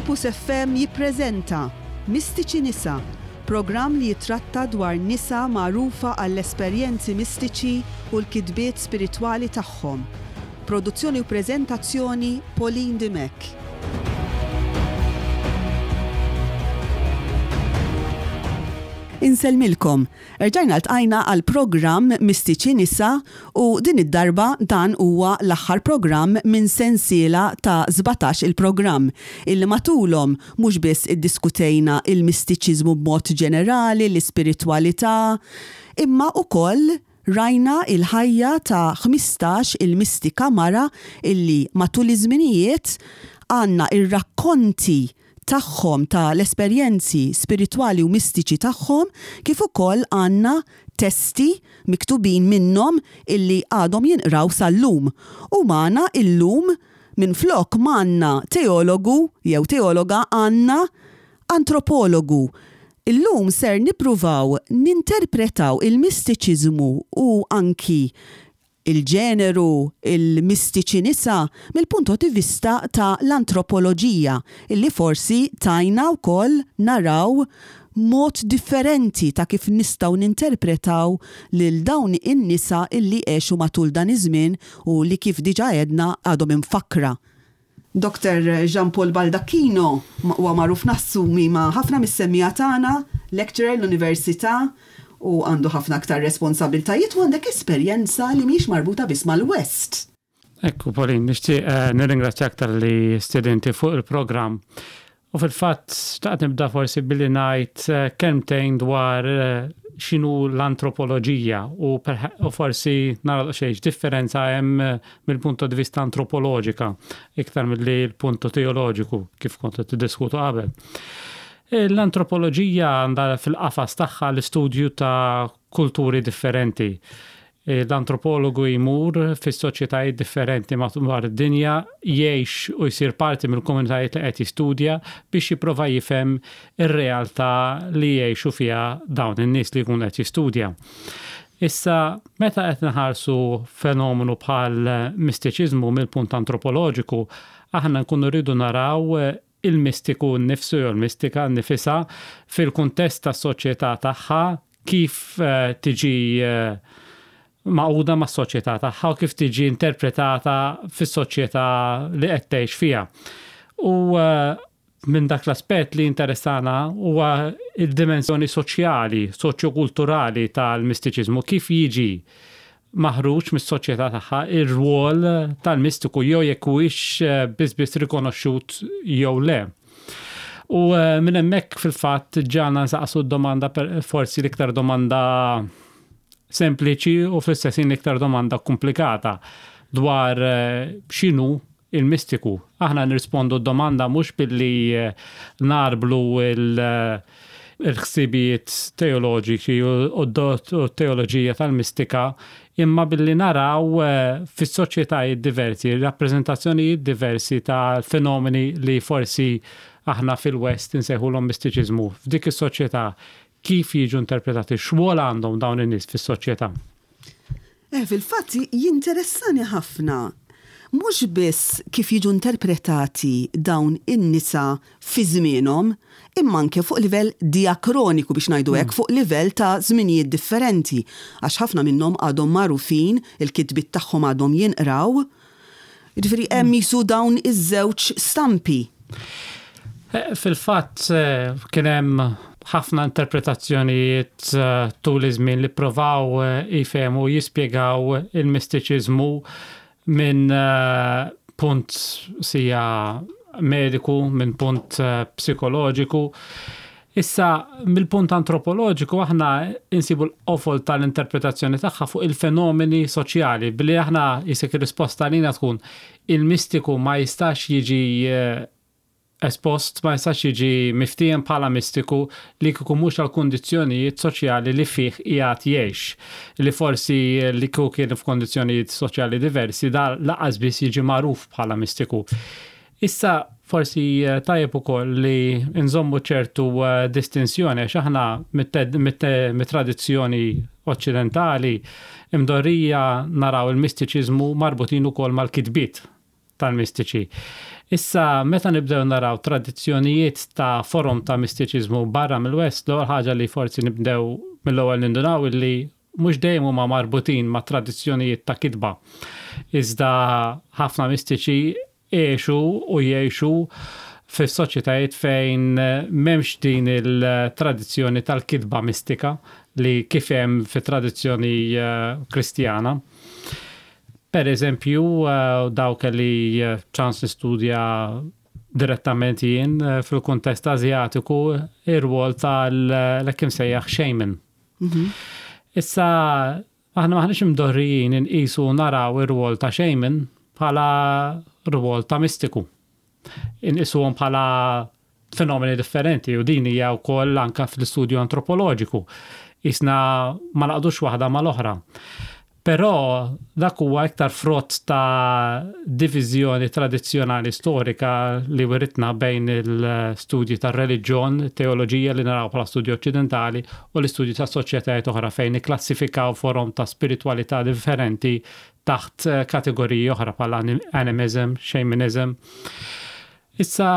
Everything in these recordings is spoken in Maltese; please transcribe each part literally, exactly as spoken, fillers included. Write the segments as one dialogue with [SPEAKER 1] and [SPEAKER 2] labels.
[SPEAKER 1] Campus F M jippreżenta Mistiċi Nisa, programm li jitratta dwar nisa magħrufa għall-esperjenzi mistiċi u l-kitbiet spiritwali tagħhom. Produzzjoni u preżentazzjoni, Pauline Dimech. Insellmilkom. Erġajna ltqajna għal programm Mistiċi Nisa u din id-darba dan huwa l-aħħar programm minn sensiela ta' sbatax il-programm illi matulhom mhux biss iddiskutejna il-mistiċiżmu b'mod ġenerali, l-ispiritwalità, imma ukoll rajna il-ħajja ta' ħmistax il-mistika mara illi matul iż-żminijiet għandna ir-rakkonti tagħhom ta' l-esperjenzi spiritwali u mistiċi tagħhom, kif ukoll għandna testi miktubin minnhom illi għadhom jinqraw sal-lum. U magħna illum, minflok m'għandna teologu jew teologa, għandna antropologu. Illum ser nippruvaw ninterpretaw il-mistiċiżmu u anki il-ġeneru, il-mistiċi nisa, mill-punto di vista ta' l-antropoloġija, illi forsi tgħinna wkoll naraw mod differenti ta' kif nistgħu ninterpretaw lil dawn in-nisa illi għexu matul dan iż-żmien u li, kif diġà għedna, għadhom imfakra. Doktor Jean Paul Baldacchino huwa magħruf, nassumi, ma' ħafna mis-semmiegħa tagħna, lecturer l-università u għandu ħafna aktar responsabiltajiet u għandek esperjenza li mhix marbuta biss mal-West.
[SPEAKER 2] Ekku, Pauline, nixtieq eh, nirringrazzjak talli stedintni fuq il-programm. U fil-fatt, xtaqt nibda forsi billi ngħid eh, kelmtejn dwar eh, x'inhu l-antropoloġija u, u forsi nara xejn differenza hemm mill-punto di vista antropoloġika iktar milli l-punto teoloġiku, kif kontu tiddiskutu qabel. L-antropoloġija għandha fil-qafas tagħha l-istudju ta' kulturi differenti. L-antropologu jmur fis soċjetajiet differenti madwar id-dinja, jgħix u jsir parti mill-komunitajiet li qed jistudja biex jipprova jifhem ir-realtà li jgħixu fiha dawn in-nies li jkun qed jistudja. Issa, meta qed nħarsu fenomenu bħal mistiċiżmu mill-punt antropoloġiku, aħna nkunu rridu naraw il-mistiku nnifsu jew il-mistika nnifisha fil-kuntest tas-soċjetà tagħha, kif eh, tiġi eh, magħquda mas soċjetà tagħha u kif tiġi interpretata fis-soċjetà li qed tgħix fiha. U eh, minn dak l-aspett li interessana huwa il-dimensjoni soċjali, soċjokulturali tal-mistiċiżmu, kif jiġi maħruġ mis-soċjetà tagħha ir-rwol tal-mistiku jew jekk huwiex eh, biss biss rikonoxxut jew le. U eh, minn hemmhekk fil-fatt ġana nsaqsu d-domanda, forsi l-iktar domanda sempliċi u fl-istess l-iktar domanda komplikata, dwar eh, x'inhu il-mistiku. Aħna nirrispondu d-domanda mhux billi nagħrblu il- il-ħsibijiet teoloġiċi u teoloġija tal-mistika, imma billi naraw eh, fis-soċjetajiet diversi, rappreżentazzjonijiet diversi ta' fenomeni li forsi aħna fil-West insejħulhom mistiċiżmu. F'dik is-soċjetà kif jiġu interpretati, x'rwol għandhom dawn in-nies fis-soċjetà?
[SPEAKER 1] Eh, fil-fatt jinteressani ħafna mhux biss kif jiġu interpretati dawn in-nisa fi żmienhom, imma anke fuq livell diakroniku, biex ngħidu hekk, mm. fuq livell ta' żminijiet differenti, għax ħafna minnhom għadhom magħrufin, il-kitbiet tagħhom għadhom jinqraw. Jiġifieri hemm jisu dawn iż-żewġ stampi.
[SPEAKER 2] Eh, fil-fatt eh, kien hemm ħafna interpretazzjonijiet eh, tul iż-żmien li provaw jifhmu, jispjegaw il-mistiċiżmu minn eh, punt sija mediku, minn punt eh, psikoloġiku. Issa, mill-punt antropoloġiku, aħna insibu l-qofol tal-interpretazzjoni tagħha fuq il-fenomeni soċjali, billi aħna jisek ir-risposta lina tkun il-mistiku ma jistax jiġi eh, espost, ma jistax jiġi miftiem bħala mistiku li kieku mhux għal kundizzjonijiet soċjali li fih qiegħed jgħix. Li forsi li kieku kien f'kondizzjonijiet soċjali diversi, da lanqas biss jiġi magħruf bħala mistiku. Issa, forsi eh, tajjeb ukoll li nżommu ċertu eh, distinzjoni, għax aħna mit-tradizzjoni oċċidentali imdorrija naraw il-mistiċiżmu marbutin ukoll mal-kitbiet. tal-mistiċi. Issa, meta nibdew naraw tradizzjonijiet ta' forom ta' mistiċiżmu barra mill-West, l-ewwel ħaġa li forsi nibdew mill-ewwel nindunaw illi mhux dejjem huma marbutin ma' tradizzjonijiet ta' kitba. Iżda ħafna mistiċi għexu u jgħixu fis-soċjetajiet fejn m'hemmx din il-tradizzjoni tal-kitba mistika li kif hemm fit-tradizzjoni eh, Kristjana. Per eżempju, eh, dawk li eh, ċans nistudja direttament jien eh, fil-kuntest Azjatiku, ir-rwol tal-hekk imsejjaħ shaman. Issa, aħna maħniex imdorrijin inqisu naraw ir-rwol ta' shaman bħala rwol ta' mistiku. Inqisuhom bħala fenomeni differenti u din hija wkoll anka fl-istudju antropoloġiku. Isna ma naqdux waħda mal-oħra. Però dak huwa iktar frott ta' diviżjoni tradizzjonali storika li wiritna bejn il-studji tar reliġjon, teoloġija li naraw bħala studju oċċidentali, u l-istudju ta' soċjetajiet oħra fejn ikklassifikaw forom ta' spiritualità differenti taħt eh, kategoriji oħra bħala animism, shamanism. Issa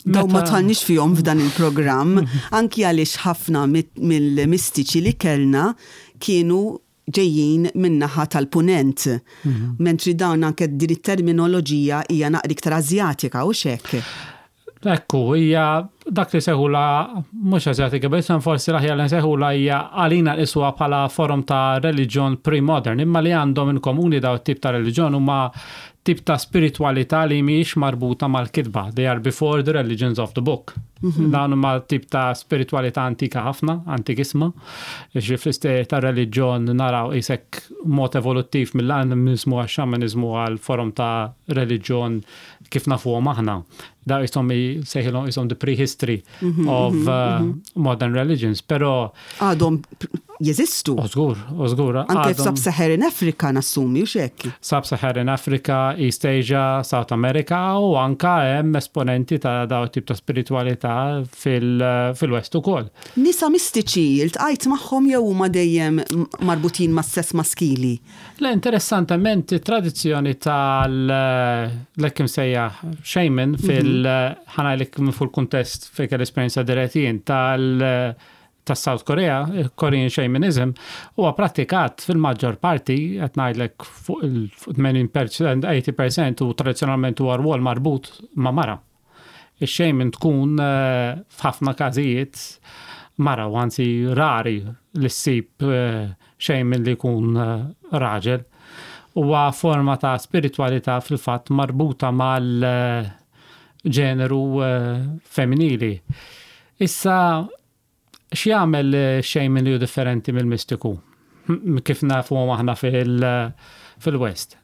[SPEAKER 1] Daw ma
[SPEAKER 2] meta-
[SPEAKER 1] dħalniex fihom f'dan il-programm, anki għaliex ħafna mit- mill-mistiċi li kellna kienu ġejjin min-naħa tal-punent. Mentri dawn anke din it-terminoloġija hija naqra iktar Azjatika u xek.
[SPEAKER 2] Ekku, hija dak li sejħulha mhux Azjatika, biss forsi l-aħjar li nsejħulha hija għalina nqisuha bħala forom ta' reliġjon pre-modern, imma li għandhom in komuni daw tip ta' reliġjon huma tip ta' spiritualità li mhijiex marbuta mal-kitba. They are before the religions of the book. Dawn huma tip ta' spiritualità antika ħafna, antikissima. Ġi fl-istejjer ta' reliġjon naraw isek mod evoluttiv mill-animizmu għax xamanizmu għal forom ta' reliġjon kif nafuhom aħna. Da jisom sejħilhom jisom the prehistory of uh, modern religions, pero
[SPEAKER 1] Għadhom jeżistu.
[SPEAKER 2] Ożgur, ożgur.
[SPEAKER 1] Anke
[SPEAKER 2] għadhom-
[SPEAKER 1] f'Sub-Saharan Africa nassumi u xek.
[SPEAKER 2] Sub-Saharan Africa, East Asia, South America u anka hemm esponenti ta' daw tip ta' spiritualità fil- fil-West ukoll.
[SPEAKER 1] Nisa mistiċi, iltqajt magħhom jew huma dejjem marbutin mas-sess maskili?
[SPEAKER 2] Le, interessantement, tradizzjoni tal-hekk imsejjaħ shaman fil- ħa ngħidlek minn fuq il-kuntest fejn l-esperjenza direttijin tal- tas-South Korea, Korean Shamanism, huwa pratikat fil-maġġor parti, qed ngħidlek fuq il-tmenin fil-mija, tmenin fil-mija u tradizzjonalment huwa rwol marbut ma' mara. Ix-shaman tkun eh, f'ħafna każijiet mara u anzi rari li ssib eh, shaman li jkun eh, raġel. Huwa forma ta' spiritualità fil-fatt marbuta mal-ġeneru femminili. Issa, x'jagħmel shaman li hu differenti mill-mistiku? Kif nafu aħna fil-West?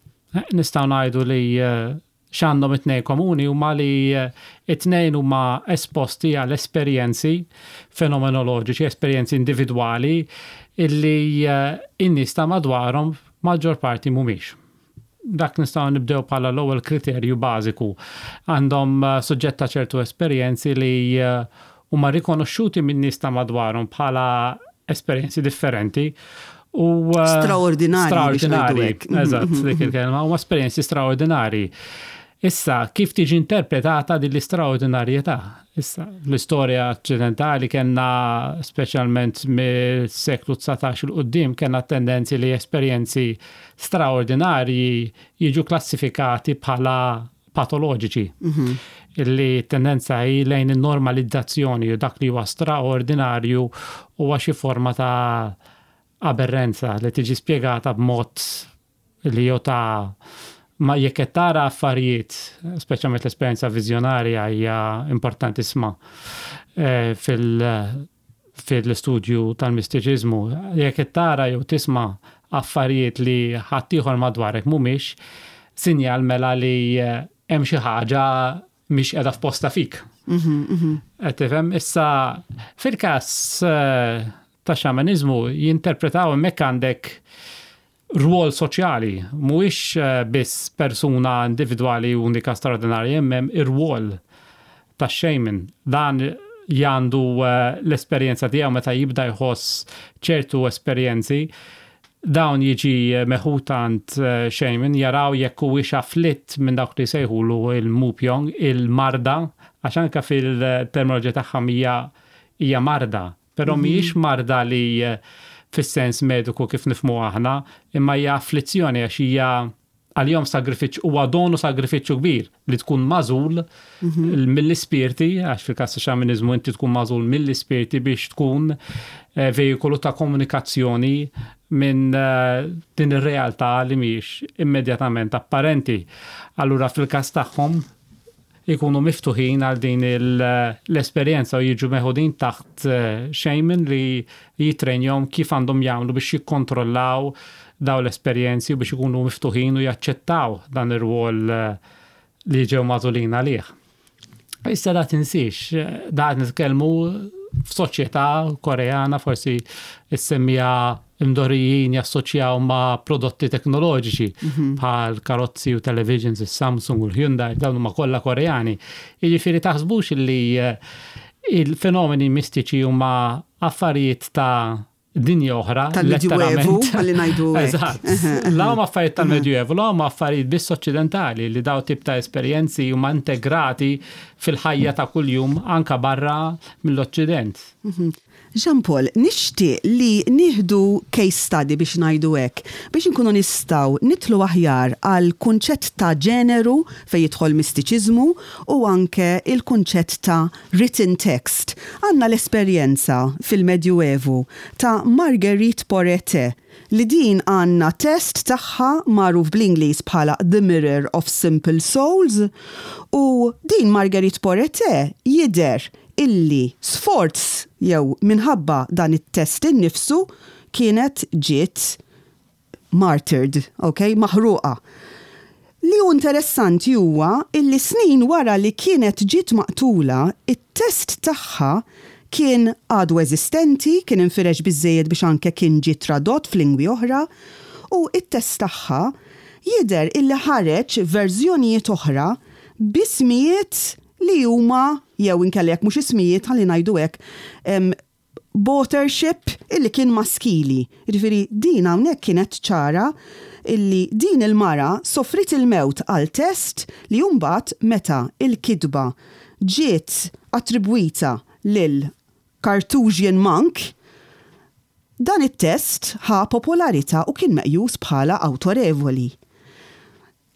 [SPEAKER 2] Nistgħu ngħidu li eh, x'għandhom it-tnejn komuni huma li eh, it-tnejn huma esposti għal esperjenzi fenomenoloġiċi, esperjenzi individwali illi eh, in-nies ta' madwarhom maġġor parti mhumiex. Dak nistgħu nibdew bħala l-ewwel kriterju bażiku. Għandhom suġġetta ċertu esperjenzi li huma rikonoxxuti minn nies ta' madwarhom bħala esperjenzi differenti u
[SPEAKER 1] eh, straordinari.
[SPEAKER 2] Straordinari, eżatt, dik il-kelma, huma esperjenzi straordinari. Issa, kif tiġi interpretata din l-istraordinarjetà? Issa, l-istorja occidentali kellna, speċjalment mill-seklu dsatax 'il quddiem, kellna tendenzi li esperjenzi straordinarji jiġu klassifikati bħala patoloġiċi. Mm-hmm. Illi tendenza hi lejn il-normalizzazzjoni u dak li huwa straordinarju huwa xi forma ta' aberrenza li tiġi spjegata b'mod li jew ta' ma jekk qed tara affarijiet, speċjalment l-esperjenza viżjonarja hija importantissima eh, fil- fil-istudju tal-mistiċiżmu. Jekk qed tara jew tisma' affarijiet li ħaddieħor madwarek mhumiex, sinjal mela li eh, hemm xi ħaġa mhix qiegħda f'posta fik. Mhm, mhm. Qed tifhem? Issa fil-każ eh, ta' xamanizmu jinterpretaw, hemmhekk għandek rwol soċjali, mhuwiex eh, biss persuna individwali unika straordinarja, hemm ir-rwol ta' shaman. Dan jandu eh, l-esperjenza tiegħu meta jibda jħoss ċertu esperjenzi Dawn jiġi meħud għand eh, shaman, jaraw jekk huwiex afflitt minn dawk li sejħulu il-mupjong, il-marda, għax anke fil-terminoloġija tagħhom hija hija marda, però mhm. mhijiex marda li eh, fis-sens mediku kif nifhmu aħna, imma hija afflizzjoni għax hija għalihom sagrifiċċju, huwa donu, sagrifiċċju kbir li tkun magħżul mhm. mill-ispirti, għax fil-każ xamaniżmu inti tkun magħżul mill-ispirti biex tkun eh, vejikolu ta' komunikazzjoni minn eh, din ir-realtà li mhijiex immedjatament apparenti. Allura fil-każ tagħhom ikunu miftuħin għal din l-esperjenza u jiġu meħudin taħt eh, shaman li jitrenjom kif għandhom jagħmlu biex jikkontrollaw daw l-esperjenzi u biex ikunu miftuħin u jaċċettaw dan ir-rwol eh, li ġew magħżulin għalih. Issa da tinsiex, da nitkellmu f'soċjetà Koreana, forsi issemmija imdorrijin jassoċjaw ma' prodotti teknoloġiċi mhm. bħal karozzi u televisions, il-Samsung u l-Hyundai, dawn huma kollha Koreani. Jiġifieri taħsbux li eh, il-fenomeni mistiċi huma affarijiet ta' dinja oħra.
[SPEAKER 1] Tal-Medjuevu, għalli ngħidu.
[SPEAKER 2] Eżatt. La huma affarijiet tal-Medjuevu, la huma affarijiet biss oċċidentali, li daw tip ta' esperjenzi huma integrati fil-ħajja ta' kuljum anka barra mill-Oċċident.
[SPEAKER 1] Mhm. Jean Paul, nixtieq li nieħdu case study biex ngħidu hekk, biex nkunu nistgħu nidħlu aħjar għal kunċett ta' ġeneru fejn jidħol mistiċiżmu u anke il-kunċett ta' written text. Għandna l-esperjenza fil-Medjuevu ta' Marguerite Porete, li din għandna test tagħha magħruf bl-Ingliż bħala The Mirror of Simple Souls, u din Marguerite Porete jidher illi sforz jew minħabba dan it-test innifsu kienet ġiet martyred, ok, maħruqa. Li hu interessanti huwa illi snin wara li kienet ġiet maqtula, it-test tagħha kien għadu eżistenti, kien infirex biżejjed biex anke kien ġie tradott f'lingwi oħra, u it-test tagħha jidher illi ħareġ verżjonijiet oħra b'ismijiet li huma, jew inkella jekk mhux ismijiet, ħalli ngħidu hekk, authorship illi kien maskili. Jiġifieri din hawnhekk kienet ċara illi din il-mara sofrit il-mewt għal test li mbagħad meta il-kitba ġiet attribwita lil Carthusian monk, dan it-test ħa popolarità u kien meqjus bħala awtorevoli.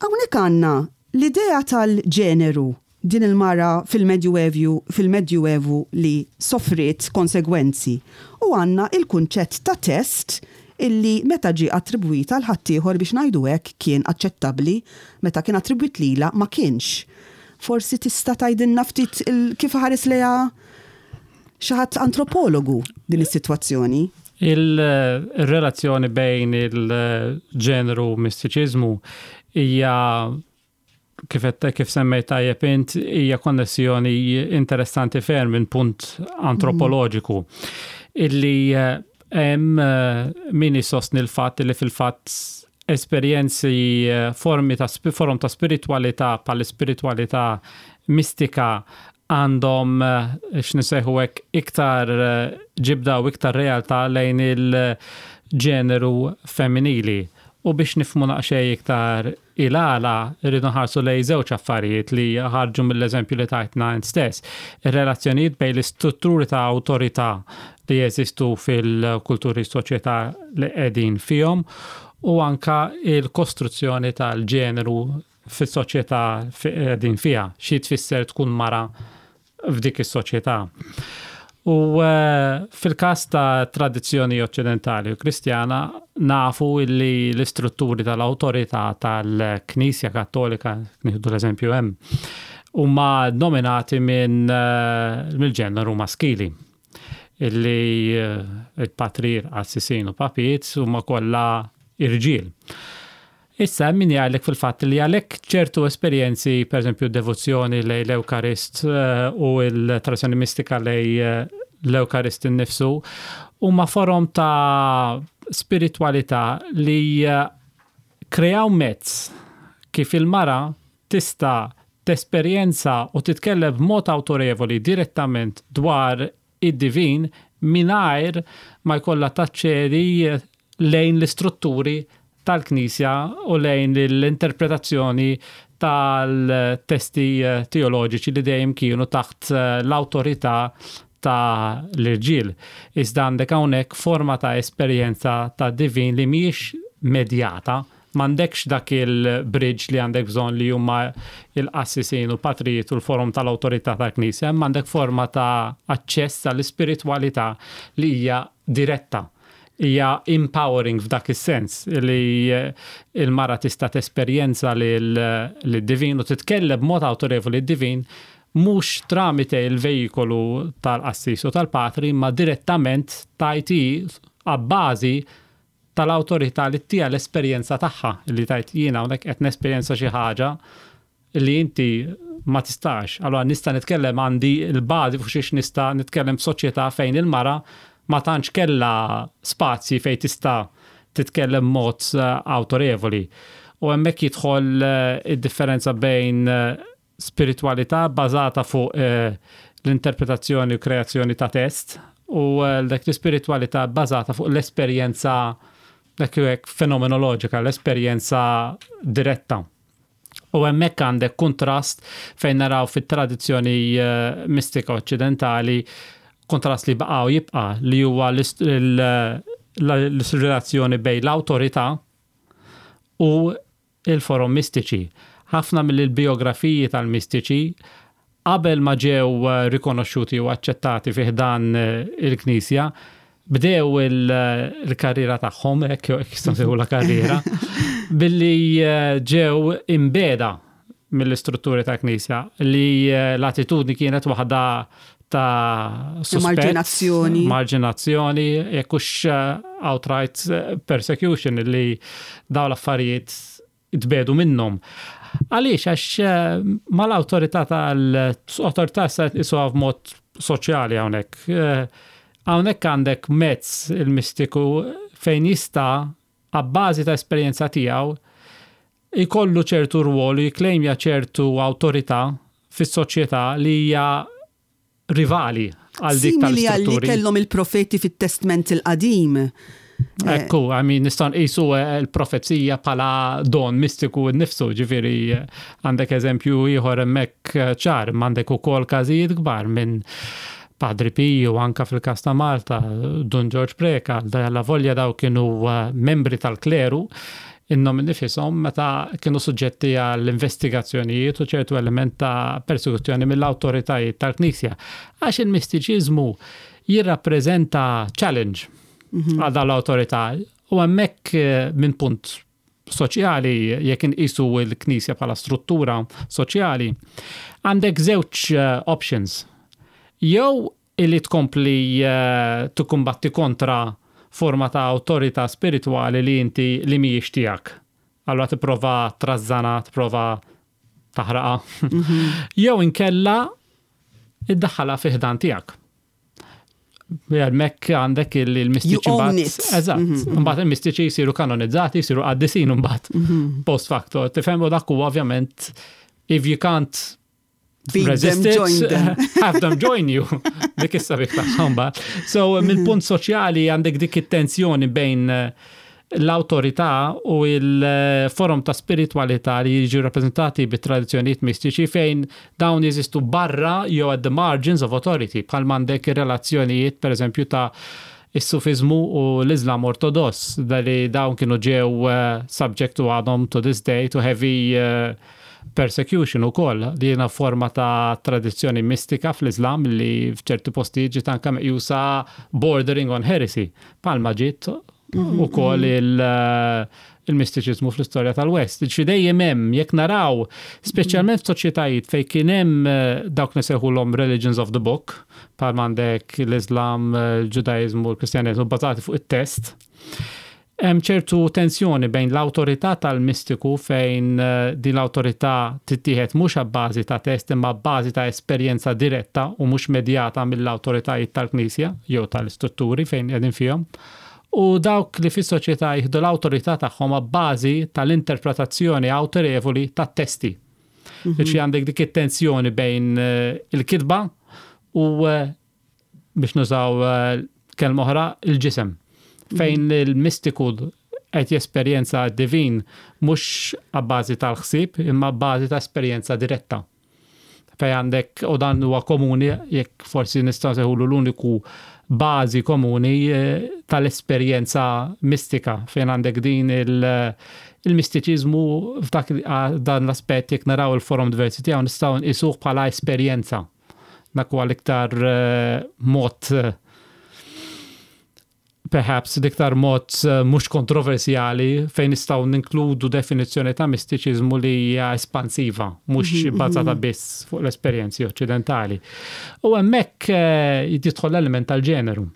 [SPEAKER 1] Hawnhekk għandna l-idea tal-ġeneru, din il-mara fil-Medjuevu fil-Medjuevu li sofriet konsegwenzi, u għandna il-kunċett ta' test illi meta ġi attribwita għal ħaddieħor, biex ngħidu hekk, kien aċċettabbli, meta kien attribwit lila ma kienx. Forsi tista' tgħidilna ftit kif ħares lejha xi ħadd antropologu din is-sitwazzjoni?
[SPEAKER 2] Il-relazzjoni bejn il-ġeneru u mistiċiżmu hija, kif kif semmejt tajjeb int, hija konnessjoni interessanti ferm minn punt antropoloġiku. Illi eh, hemm eh, min isostni l-fatt li fil-fatt esperjenzi, eh, formi ta' forom ta' spiritualità bħal spiritualità mistika għandhom, x'nisejħu hekk, iktar ġibda u iktar realtà lejn il-ġeneru femminili. U biex nifhmu naqxej iktar il-għala, rridu nħarsu lejn żewġ affarijiet li ħarġu mill-eżempju li tajtna int stess. Ir-relazzjonijiet bejn l-istrutturi ta' awtorità li jeżistu fil-kulturi, soċjetà li qegħdin fihom u anka il-kostruzzjoni tal-ġeneru fis-soċjetà qegħdin fiha, xi tfisser tkun mara f'dik is-soċjetà. U eh, fil-każ ta' tradizzjoni oċċidentali u Kristjana nafu illi l-istrutturi tal-awtorità tal-Knisja Kattolika, nieħdu l-eżempju hemm, huma dominati minn eh, mill-ġeneru maskili. Illi eh, il-patrir, qassisin u papiet huma kollha irġiel. Issa min jgħidlek fil-fatt li għalhekk ċertu esperjenzi, per eżempju devozzjoni lejn l-Ewkarist eh, u l-tradizzjoni mistika lejn eh, l-Ewkarist innifsu, huma forom ta' spiritualità li eh, kreaw mezz kif il-mara tista' tesperjenza u titkellem b'mod awtorevoli direttament dwar id-divin mingħajr ma jkollha taċċedi lejn l-istrutturi tal-Knisja u lejn l-interpretazzjoni tal-testi eh, teoloġiċi li dejjem kienu taħt eh, l-awtorità ta' l-irġiel. Iżda għandek hawnhekk forma ta' esperjenza ta' divin li mhijiex medjata, m'għandekx dak il-bridge li għandek bżonn li huma il-qassisin u patrijiet u l-forum tal-awtorità tal-Knisja, imma għandek forma ta' aċċess għall-ispiritwalità li hija diretta, hija empowering f'dak is-sens li eh, il-mara tista' tesperjenza lid-divin u titkellem b'mod autorevoli d-divin mhux tramite il-vejikolu tal-qassis u tal-patri, ma direttament tajti għabbażi tal-awtorità li tija l-esperjenza tagħha, li tajt jiena hawnhekk qed nesperjenza xi ħaġa li inti ma tistax. Allora nista' nitkellem, għandi l-bażi fuq xiex nista' nitkellem f'soċjetà fejn il-mara ma tantx kella spazji fejn tista' titkellem mod eh, autorevoli. U hemmhekk jidħol eh, id-differenza bejn eh, spiritualità bażata fuq l-interpretazzjoni u kreazzjoni ta' test u dak l-spiritualità bażata fuq l-esperjenza dak hekk fenomenoloġika, l-esperjenza diretta. U hemmhekk għandek kontrast fejn naraw fit-tradizzjoni mistika oċċidentali kontrast li baqa' u jibqa' li huwa l-relazzjoni bejn l-awtorità u il-forom mistiċi. Ħafna mill-biografiji tal-mistiċi qabel ma ġew eh, rikonoxxuti u aċċettati fi ħdan eh, il-Knisja, bdew il-karriera tagħhom, hekk jistgħu nsejħu la karriera, billi eh, ġew imbeda mill-istrutturi ta' Knisja li l-attitudni kienet waħda ta'
[SPEAKER 1] suspett, marġinazzjoni.
[SPEAKER 2] Marġinazzjoni, jekk hux outright persecution, li daw l-affarijiet tbedu minnhom. Għaliex, għax eh, mal-awtorità tal-awtorità sa isuha f'mod soċjali hawnhekk. Eh, hawnhekk għandek mezz il-mistiku fejn jista' għabbażi ta' esperjenza tiegħu jkollu ċertu rwol u jiklejmja ċertu awtorità fis-soċjetà li hija rivali għal dik
[SPEAKER 1] Simili għal li
[SPEAKER 2] tal-istrutturi.
[SPEAKER 1] kellhom il-profeti fit-Testment il-Qadim.
[SPEAKER 2] Ekku, I mean, nistgħu nqisu eh, l-profezija bħala don mistiku nnifsu, ġifieri eh, għandek eżempju ieħor hemmhekk eh, ċar, m'għandek ukoll każijiet kbar minn Padre Pio, anka fil-kas ta' Malta, Dun George Preca, la volja daw kienu eh, membri tal-kleru, innom nifisom meta kienu suġġetti għall-investigazzjonijiet u ċertu element ta' persekuzzjoni mill-awtoritajiet tal-Knisja. Għax il-mistiċiżmu jirrappreżenta challenge għal dawn l-awtorità u hemmhekk eh, minn punt soċjali, jekk inqisu l-Knisja bħala struttura soċjali, għandek żewġ eh, options. Jew illi tkompli eh, tikkumbatti kontra forma ta' awtorità spirituali li inti li mhijiex tiegħek. Allora tipprova trażżanha, tipprova taħraqa. Jew inkella iddaħħalha fi ħdan tiegħek. Hemmhekk għandek il-mistiċi.
[SPEAKER 1] You own
[SPEAKER 2] mbagħad-
[SPEAKER 1] it.
[SPEAKER 2] Eżatt. Mbagħad il-mistiċi jsiru kanonizzati, jsiru qaddisin mbagħad post facto. Tifhem, u dak huwa ovvjament if you can't
[SPEAKER 1] Beat them,
[SPEAKER 2] resist it,
[SPEAKER 1] join them.
[SPEAKER 2] have them join you. Dik issa bik tagħhom mbagħad. So mill-punt soċjali għandek dik it-tensjoni bejn eh, l-awtorità u il-forum ta' spiritualità li jiġu rappresentati bit tradizzjonijiet mistiċi fejn dawn jeżistu barra jew at the margins of authority, bħal m'għandek ir-relazzjonijiet per eżempju ta' is-sufizmu u l-Islam ortodoss, dali dawn kienu ġew uh, subject to, għadhom to this day, to heavy uh, persecution u koll. Dina forma ta' tradizzjoni mistika fl-Islam li f'ċerti postijiet ġiet anka meqjusa bordering on heresy. Bħalma ġiet u koll il- il-mistiċizmu fl-istorja tal-West. Ġi dejjem hemm, jekk naraw, speċjalment f'soċjetajiet fejn kien hemm eh, dawk nsejħulhom religions of the book, bħal m'għandek l-Islam, il-Ġudaizmu, l-Kristjaneżmu bbażati fuq it-test, hemm ċertu tensjoni bejn l-awtorità tal-mistiku fejn eh, din l-awtorità tittieħed mhux abbażi ta' test imma abbażi ta' esperjenza diretta u mhux medjata mill-awtoritajiet tal-Knisja jew tal-istrutturi fejn qegħdin fihom. U dawk li fis-soċjetà jieħdu l-awtorità tagħhom abbażi tal-interpretazzjoni awtorevoli tat-testi. Ġifieri għandek dik it-tensjoni bejn eh, il-kitba u eh, biex nużaw eh, kelma oħra, il-ġisem. Fejn il-mistiku qed jesperjenza divin mhux abbażi tal-ħsieb imma bażi ta' esperjenza diretta. Fejn għandek, u dan huwa komuni, jekk forsi nistgħu nsejħulu l-uniku bażi komuni eh, tal-esperjenza mistika, fejn għandek din il- il-mistiċiżmu f'dak dan l-aspett, jekk naraw il-forom diversi tiegħu, nistgħu nqisuh bħala esperjenza. Dak huwa l-iktar eh, mod eh, perhaps l-iktar mod eh, mhux kontroversjali fejn nistgħu ninkludu definizzjoni ta' mistiċiżmu li hija espansiva, mhux mhm, bbażata mhm. biss fuq l-esperjenzi oċċidentali. U hemmhekk eh, jidħol l-element tal-ġeneru.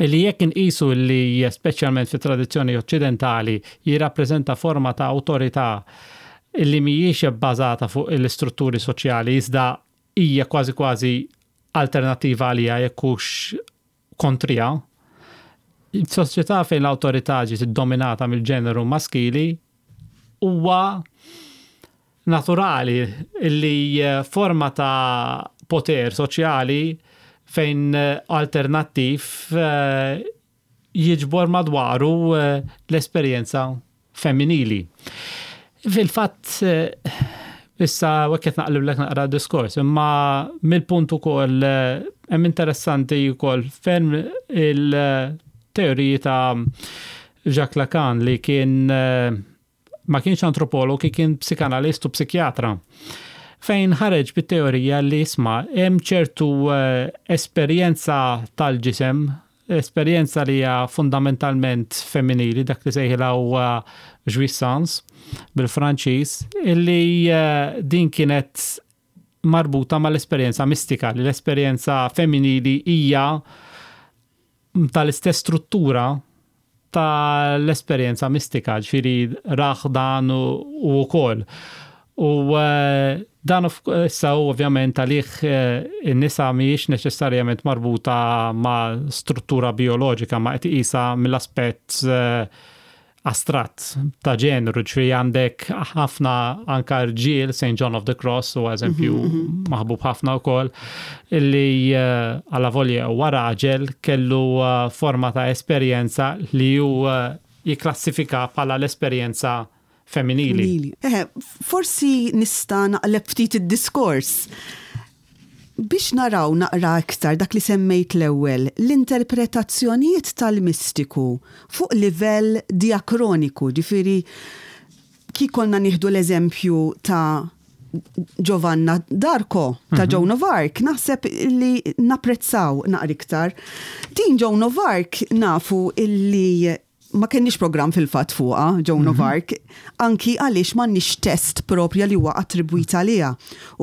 [SPEAKER 2] Li jekk inqisu li speċjalment fit tradizzjoni oċċidentali jirrappreżenta forma ta' awtorità li mhijiex bbażata fuq l-istrutturi soċjali, iżda hija kważi kważi alternattiva għalija, jekk hux kontrija, soċjetà fejn l-awtorità ġiet iddominata mill-ġeneru maskili, huwa naturali li eh, forma ta' poter soċjali fejn eh, alternattiv eh, jiġbor madwaru l-esperjenza femminili. Fil-fatt, issa wekket naqlib naqra diskors, imma mill-punt ukoll hemm interessanti wkoll ferm il- teoriji ta' Jacques Lacan, li kien eh, ma kienx antropolog, kien psikanalist u psikjatra. Fejn ħareġ bit-teorija li, isma', hemm ċertu eh, esperjenza tal-ġisem, esperjenza li hija fundamentalment femminili, dak li sejħilha huwa jouissance bil-Franċiż, illi eh, din kienet marbuta mal-esperjenza mistika, li l-esperjenza femminili hija tal-istess struttura tal-esperjenza mistika, ġifieri raħ dan u wkoll. U eh, dan issa ovvjament għalih eh, in-nisa mhijiex neċessarjament marbuta ma' struttura bioloġika, ma qed iqisha mill-aspett eh, astratt ta' ġeneru, ġifieri għandek ħafna anka rġiel, Saint John of the Cross, u eżempju mhm, mhm. maħbub ħafna wkoll, illi eh, għalla volja huwa raġel kellu eh, forma ta' esperjenza li hu eh, jiklassifika bħala l-esperjenza femminili.
[SPEAKER 1] Eh, forsi nista' naqleb ftit id-diskors biex naraw naqra iktar dak li semmejt l-ewwel, l-interpretazzjonijiet tal-mistiku fuq livell diakroniku, ġifieri kif konna nieħdu l-eżempju ta' Giovanna D'Arco, ta' mm -hmm. Joan of Arc, naħseb li napprezzaw naqra iktar. Din Joan of Arc nafu illi ma kenniex program fil-fatt fuqha, Joan of mhm. Arc, anki għaliex m'għandniex test propja li huwa attribwita għaliha.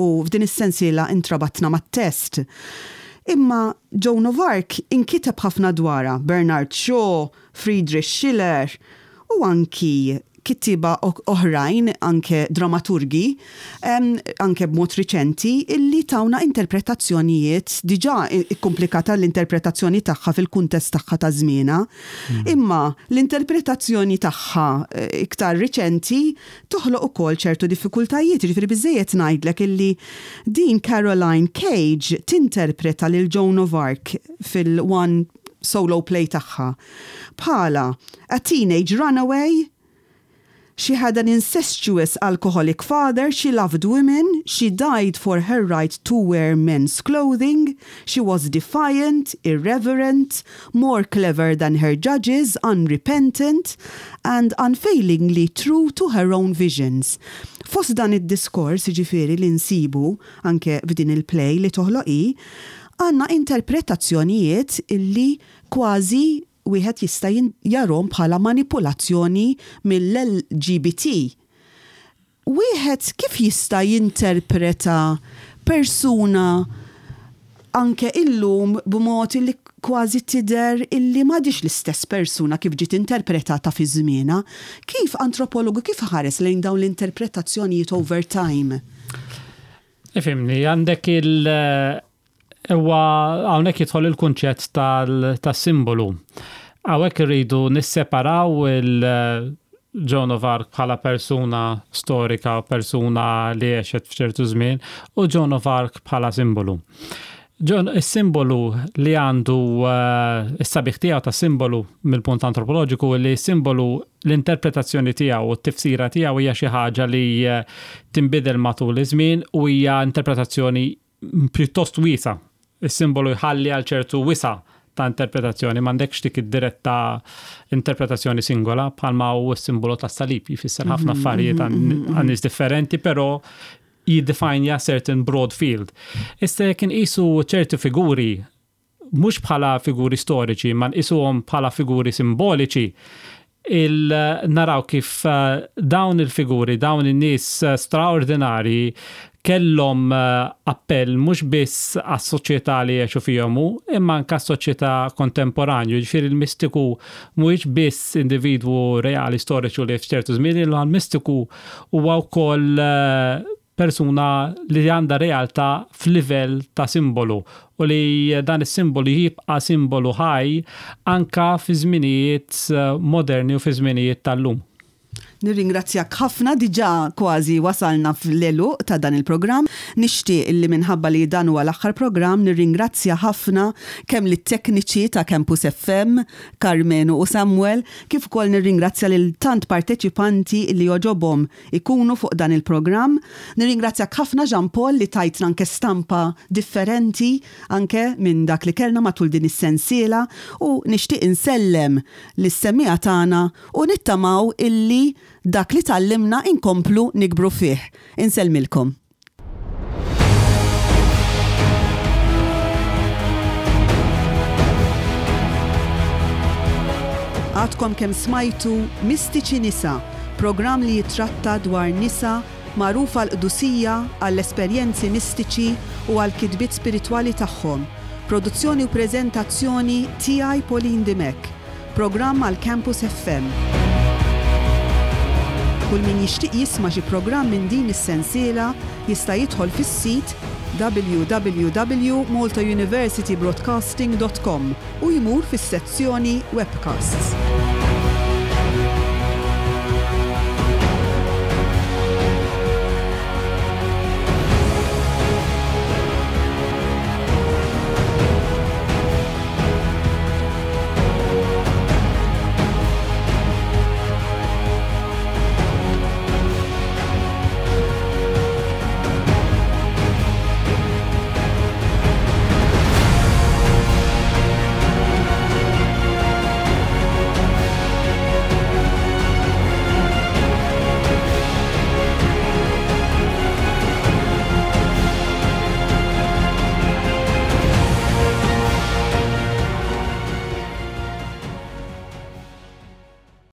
[SPEAKER 1] U f'din is-sensiela intrabatna mat-test. Imma Joan of Arc inkiteb ħafna dwarha Bernard Shaw, Friedrich Schiller u anki kittiba oħrajn, anke dramaturgi, anke b'mod riċenti, illi tawna interpretazzjonijiet diġà ikkomplikata l-interpretazzjoni tagħha fil-kuntest tagħha ta' żmienha. Mm. Imma l-interpretazzjoni tagħha eh, iktar riċenti toħloq ukoll ċertu diffikultajiet, ġifieri biżejjed ngħidlek illi din Caroline Cage tinterpreta lil Joan of Arc fil-one solo play tagħha bħala a teenage runaway. She had an incestuous alcoholic father, she loved women, she died for her right to wear men's clothing, she was defiant, irreverent, more clever than her judges, unrepentant, and unfailingly true to her own visions. Fost dan id-diskors, ġifieri li nsibu anke f'din il-play li toħloqi, għandna interpretazzjonijiet illi kważi wieħed jista' jarahom bħala manipulazzjoni mill-L G B T. Wieħed kif jista' jinterpreta persuna anke illum b'mod illi kważi tidher illi m'għadix l-istess persuna kif ġiet interpretata fi żmienha? Kif antropologu kif ħares lejn dawn l-interpretazzjonijiet over time?
[SPEAKER 2] Ifhimni, għandek il- Ewa, hawnhekk jidħol il-kunċett tal-simbolu. Hawnhekk irridu nisseparaw il- Joan of Arc bħala persuna storika, persuna li għexet f'ċertu żmien, u Joan of Arc bħala simbolu. John, is-simbolu li għandu uh, is-sabiħ tiegħu ta' simbolu mill-punt antropoloġiku li simbolu l-interpretazzjoni tiegħu u t-tifsira tiegħu hija xi ħaġa li uh, tinbidel matul iż-żmien u hija interpretazzjoni pjuttost wiesa. Is-simbolu jħalli għal ċertu wisa ta' interpretazzjoni, m'għandekx dik id-diretta interpretazzjoni singola bħalma hu s-simbolu tas-salib jfisser ħafna mhm, affarijiet mhm, mhm, għan nies differenti, però jiddefinja certain broad field. Issa jekk inqisu ċerti figuri mhux bħala figuri storiċi, ma nqisuhom bħala figuri simboliċi, il naraw kif eh, dawn il-figuri, dawn in-nies eh, straordinari kellhom eh, appell mhux biss għas-soċjetà li jgħixu fihom hu, imma anke għas-soċjetà kontemporanju. Ġifieri il-mistiku mhuwiex biss individwu reali storiċu li f'ċertu żmien, imma l-mistiku huwa wkoll eh, persuna li għandha realtà f'livell ta' simbolu u li dan is-simbolu jibqa' simbolu ħaj anka fi żminijiet eh, moderni u fi żminijiet tal-lum.
[SPEAKER 1] Nirringrazzjak ħafna, diġà kważi wasalna fl-għeluq ta' dan il-programm. Nixtieq illi minħabba li dan huwa l-aħħar programm nirringrazzja ħafna kemm lit-tekniċi ta' Campus F M, Carmenu u Samuel, kif ukoll nirringrazzja lil tant parteċipanti li għoġobhom ikunu fuq dan il-programm. Nirringrazzjak ħafna, Jean Paul, li tajtna anke stampa differenti anke minn dak li kellna matul din is-sensiela u nixtieq insellem lis-semmiegħa tagħna u nittamaw illi dak li tgħallimna inkomplu nikbru fih. Insellmilkom. Għadkom kemm smajtu Mistiċi Nisa, programm li jitratta dwar nisa magħrufa għall-qdusija, għall-esperjenzi mistiċi u għall-kitbiet spiritwali tagħhom. Produzzjoni u preżentazzjoni tiegħi, Pauline Dimech. Programm għal Campus F M. Kull min jixtieq jisma' xi programm minn din is-sensiela jista' jidħol fis-sit w w w punt maltauniversitybroadcasting punt com u jmur fis-sezzjoni Webcasts.